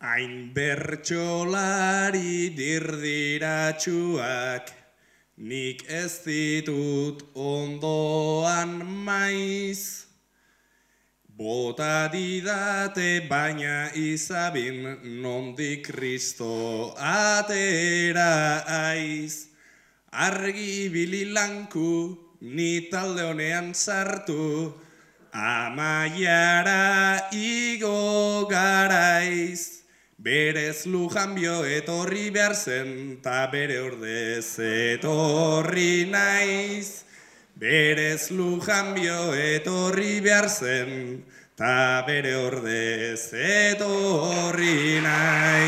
Hain bertsolari dirdiratsuak, nik ez ditut ondoan maiz. Bota didate baina izabin nondik Kristo atera aiz. Argi bililanku ni talde honean sartu, amaiara igo garaiz. Berez Lujanbio etorri behar zen, ta bere ordez etorri naiz. Berez Lujanbio etorri behar zen, ta bere ordez etorri naiz.